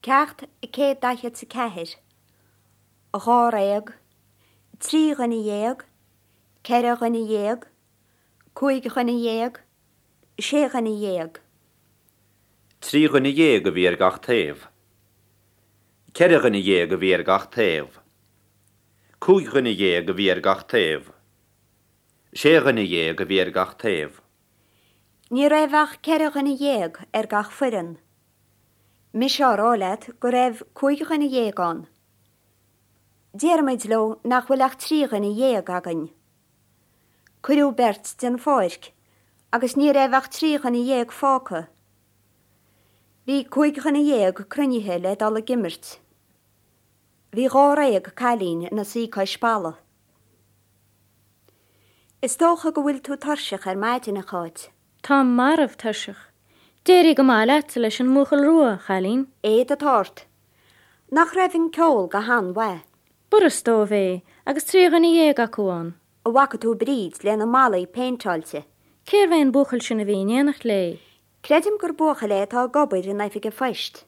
Ceacht 144, Dháréag, 3 dhuine dhéag, 4 dhuine dhéag, 5 dhuine dhéag, 6 dhuine dhéag. 3 dhuine dhéag a bhí ar gach taobh. 4 dhuine dhéag a bhí ar gach taobh. 5 dhuine dhéag a bhí ar gach taobh. 6 dhuine dhéag a bhí ar gach taobh. Ní raibh ach 4 dhuine dhéag ar gach foireann. Mise á rá leat go raibh 15 dhuine ann. Déarfaimid leo nach bhfuil ach 13 dhuine againn. Cuireadh beirt den pháirc agus ní raibh ach 13 dhuine fágtha. Bhí 15 dhuine cruinnithe le dul ag imirt. Bhí dháréag cailín ina suí cois balla. Is dócha go bhfuil tú tuirseach ar maidin, a Cháit. Táim marbh tuirseach. D'éirigh go maith leatsa leis an mbuachaill rua, a chailín. Éad atá ort. Nach raibh an ceol go han-mhaith? B'fhurast dóibh é, agus 13 dhuine acu ann. An bhfaca tú Bríd lena malaí péinteáilte? Cérbh é an buachaill sin a bhí in éineacht léi? Creidim gur buachaill é atá ag obair in oifig an phoist.